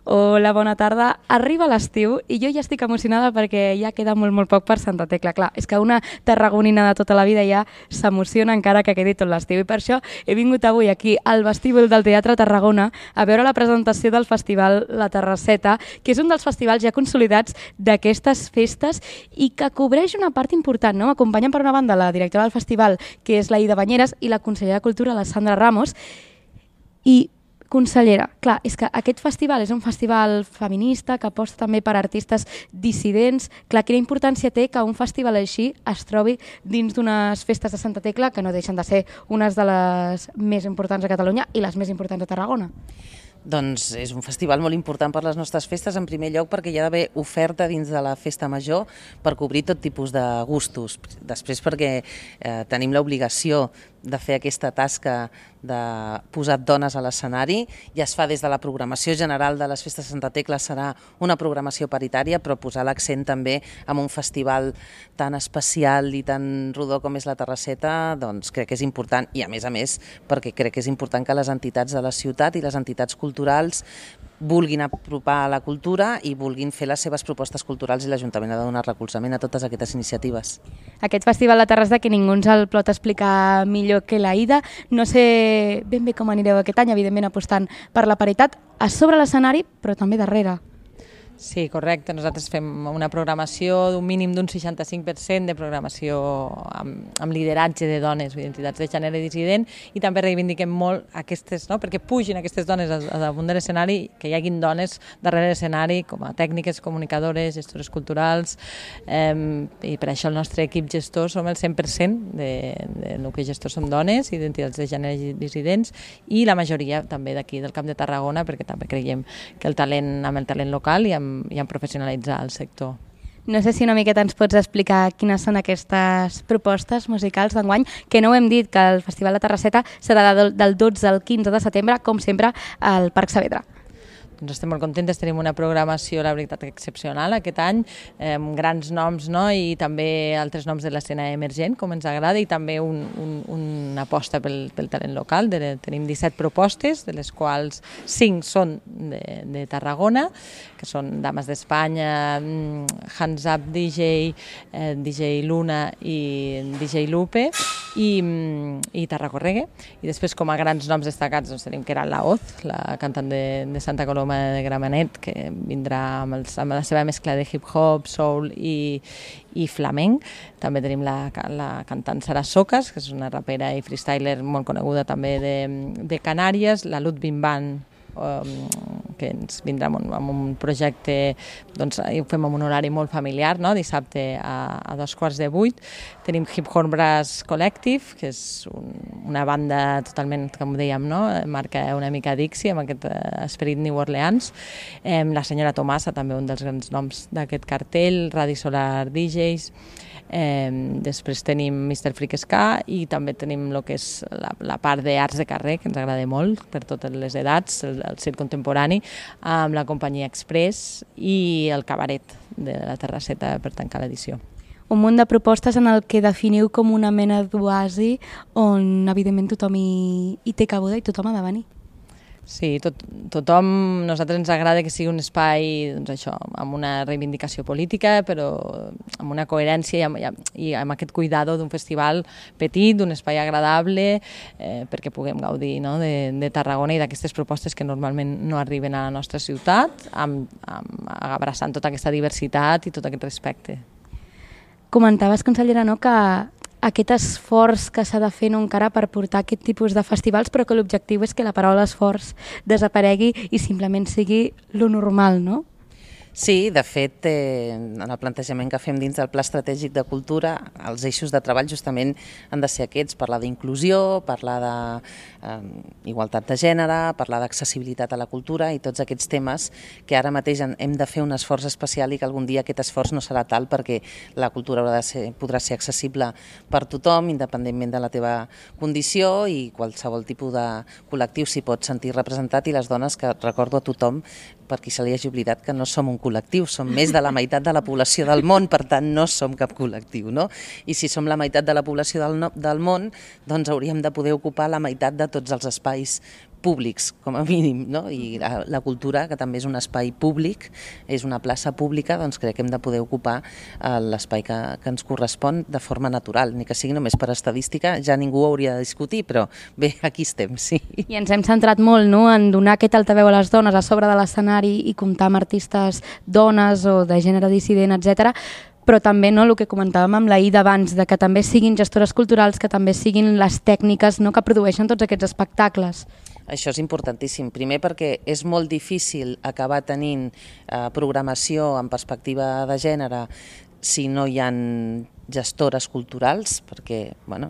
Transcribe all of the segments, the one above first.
Hola, bona tarda. Arriba l'estiu i jo ja estic emocionada perquè ja queda molt poc per Santa Tecla. Clar, és que una tarragonina de tota la vida ja s'emociona encara que quedi tot l'estiu. I per això he vingut avui aquí al vestíbul del Teatre Tarragona a veure la presentació del festival La Terrasseta, que és un dels festivals ja consolidats d'aquestes festes i que cobreix una part important, no? M'acompanyen per una banda la directora del festival, que és la Ida Banyeres, i la consellera de Cultura, la Sandra Ramos. I, consellera, clar, és que aquest festival és un festival feminista que aposta també per artistes dissidents. Clar, quina importància té que un festival així es trobi dins d'unes festes de Santa Tecla que no deixen de ser unes de les més importants de Catalunya i les més importants de Tarragona? Doncs és un festival molt important per les nostres festes, en primer lloc perquè hi ha d'haver oferta dins de la festa major per cobrir tot tipus de gustos. Després perquè tenim l'obligació de fer aquesta tasca de posar dones a l'escenari i es fa des de la programació general de les festes de Santa Tecla, serà una programació paritària, però posar l'accent també en un festival tan especial i tan rodó com és la Terrasseta, doncs crec que és important, i a més perquè crec que és important que les entitats de la ciutat i les entitats culturals vulguin apropar la cultura i vulguin fer les seves propostes culturals, i l'Ajuntament ha de donar recolzament a totes aquestes iniciatives. Aquest festival de Terrassa, que ningú ens el pot explicar millor que la Ida, no sé ben bé com anireu aquest any, evidentment apostant per la paritat a sobre l'escenari, però també darrere. Sí, correcte. Nosaltres fem una programació d'un mínim d'un 65% de programació amb lideratge de dones, identitats de gènere dissident, i també reivindiquem molt aquestes, no? Perquè pugin aquestes dones damunt de l'escenari, que hi haguin dones darrere l'escenari com a tècniques, comunicadores, gestores culturals, i per això el nostre equip gestor som el 100% de nucli gestor som dones, identitats de gènere dissidents, i la majoria també d'aquí del Camp de Tarragona, perquè també creiem que el talent, amb el talent local i en professionalitzar el sector. No sé si una miqueta ens pots explicar quines són aquestes propostes musicals d'enguany, que no ho hem dit, que el Festival de Terrasseta serà del 12 al 15 de setembre, com sempre, al Parc Saavedra. Doncs estem molt contentes, tenim una programació, la veritat, excepcional aquest any, amb grans noms, no? I també altres noms de l'escena emergent, com ens agrada, i també una aposta pel talent local. Tenim 17 propostes, de les quals 5 són de Tarragona, que són Dames d'Espanya, Hands Up DJ, DJ Luna i DJ Lupe, i Tarracorregue. I després, com a grans noms destacats, doncs, tenim Queralt Laoz, la cantant de Santa Coloma de Gramenet, que vindrà amb la seva mescla de hip-hop, soul i flamenc. També tenim la cantant Sara Socas, que és una rapera i freestyler molt coneguda també de Canàries, la Ludwig Band, que ens vindrà amb un projecte, doncs ho fem amb un horari molt familiar, no? Dissabte a 7:15. Tenim Hip Hop Brass Collective, que és una banda totalment, com dèiem, no? Marca una mica Dixie, amb aquest esperit New Orleans. La senyora Tomasa, també un dels grans noms d'aquest cartell, Radi Solar DJs. Després tenim Mr. Freak Ska, i també tenim el que és la part d'arts de carrer, que ens agrada molt per totes les edats, el circ contemporani, amb la companyia Express i el cabaret de la Terrasseta per tancar l'edició. Un munt de propostes en el que definiu com una mena d'oasi on evidentment tothom hi té cabuda i tothom ha de venir. Sí, tothom, nosaltres ens agrada que sigui un espai, doncs això, amb una reivindicació política, però amb una coherència i amb aquest cuidado d'un festival petit, d'un espai agradable, perquè puguem gaudir, no? de Tarragona i d'aquestes propostes que normalment no arriben a la nostra ciutat, abraçant tota aquesta diversitat i tot aquest respecte. Comentaves, consellera, no, que aquest esforç que s'ha de fer no encara per portar aquest tipus de festivals, però que l'objectiu és que la paraula esforç desaparegui i simplement sigui lo normal, no? Sí, de fet, en el plantejament que fem dins del Pla Estratègic de Cultura, els eixos de treball justament han de ser aquests: parlar d'inclusió, parlar d'igualtat de gènere, parlar d'accessibilitat a la cultura i tots aquests temes que ara mateix hem de fer un esforç especial i que algun dia aquest esforç no serà tal, perquè la cultura podrà ser accessible per tothom, independentment de la teva condició, i qualsevol tipus de col·lectiu s'hi pot sentir representat, i les dones, que recordo a tothom, per qui se li hagi oblidat, que no som un col·lectiu, som més de la meitat de la població del món, per tant no som cap col·lectiu, no? I si som la meitat de la població del món, doncs hauríem de poder ocupar la meitat de tots els espais públics, com a mínim, no? I la cultura, que també és un espai públic, és una plaça pública, doncs crec que hem de poder ocupar l'espai que ens correspon de forma natural, ni que sigui només per estadística, ja ningú ho hauria de discutir, però bé, aquí estem, sí. I ens hem centrat molt, no?, en donar aquest altaveu a les dones a sobre de l'escenari i comptar amb artistes dones o de gènere dissident, etc. Però també, no, el que comentàvem amb la Ida abans, de que també siguin gestores culturals, que també siguin les tècniques, no?, que produeixen tots aquests espectacles. Això és importantíssim. Primer perquè és molt difícil acabar tenint programació en perspectiva de gènere si no hi ha gestores culturals, perquè bueno,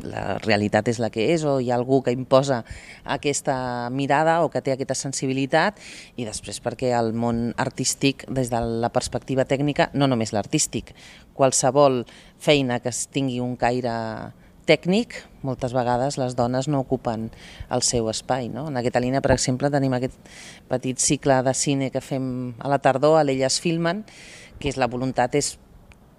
la realitat és la que és, o hi ha algú que imposa aquesta mirada o que té aquesta sensibilitat, i després perquè el món artístic, des de la perspectiva tècnica, no només l'artístic, qualsevol feina que tingui un caire tècnic, moltes vegades les dones no ocupen el seu espai. No? En aquesta línia, per exemple, tenim aquest petit cicle de cine que fem a la tardor, a l'Elles Filmen, que la voluntat és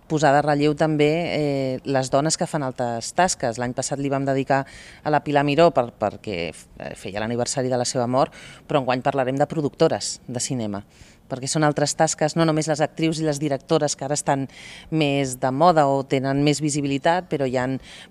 posar de relleu també les dones que fan altres tasques. L'any passat li vam dedicar a la Pilar Miró perquè feia l'aniversari de la seva mort, però enguany parlarem de productores de cinema, perquè són altres tasques, no només les actrius i les directores que ara estan més de moda o tenen més visibilitat, però hi ha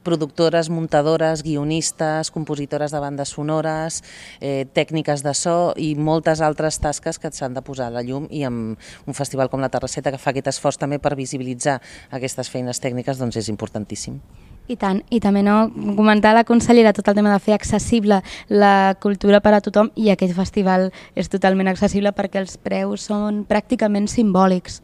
productores, muntadores, guionistes, compositores de bandes sonores, tècniques de so i moltes altres tasques que s'han de posar a la llum, i amb un festival com la Terrasseta, que fa aquest esforç també per visibilitzar aquestes feines tècniques, doncs és importantíssim. I tant, i també no comentar la consellera tot el tema de fer accessible la cultura per a tothom, i aquest festival és totalment accessible perquè els preus són pràcticament simbòlics.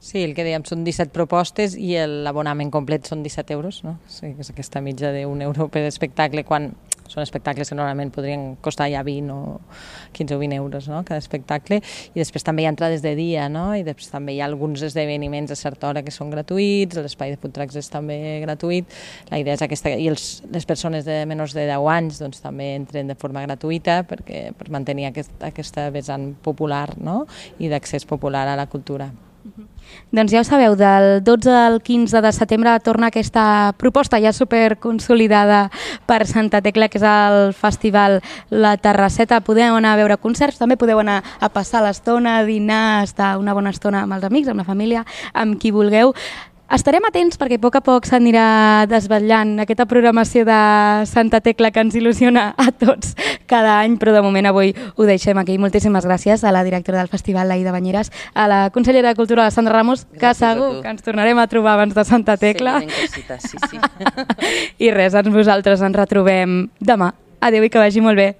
Sí, el que dèiem són 17 propostes i l'abonament complet són 17 euros, no? Sí, és aquesta mitja d'1 euro per espectacle, quan són espectacles que normalment podrien costar ja 20 o 15 o 20 euros, no?, cada espectacle. I després també hi ha entrades de dia, no?, i després també hi ha alguns esdeveniments a certa hora que són gratuïts, l'espai de food trucks és també gratuït. La idea és aquesta, i les persones de menys de 10 anys doncs, també entren de forma gratuïta per mantenir aquesta vessant popular, no?, i d'accés popular a la cultura. Doncs ja ho sabeu, del 12 al 15 de setembre torna aquesta proposta ja superconsolidada per Santa Tecla, que és el festival La Terrasseta. Podeu anar a veure concerts, també podeu anar a passar l'estona, a dinar, a estar una bona estona amb els amics, amb la família, amb qui vulgueu. Estarem atents perquè a poc s'anirà desvetllant aquesta programació de Santa Tecla que ens il·lusiona a tots cada any, però de moment avui ho deixem aquí. Moltíssimes gràcies a la directora del festival, la Ida Bañeres, a la consellera de Cultura, la Sandra Ramos, que segur que ens tornarem a trobar abans de Santa Tecla. Sí. I res, vosaltres ens retrobem demà. Adéu i que vagi molt bé.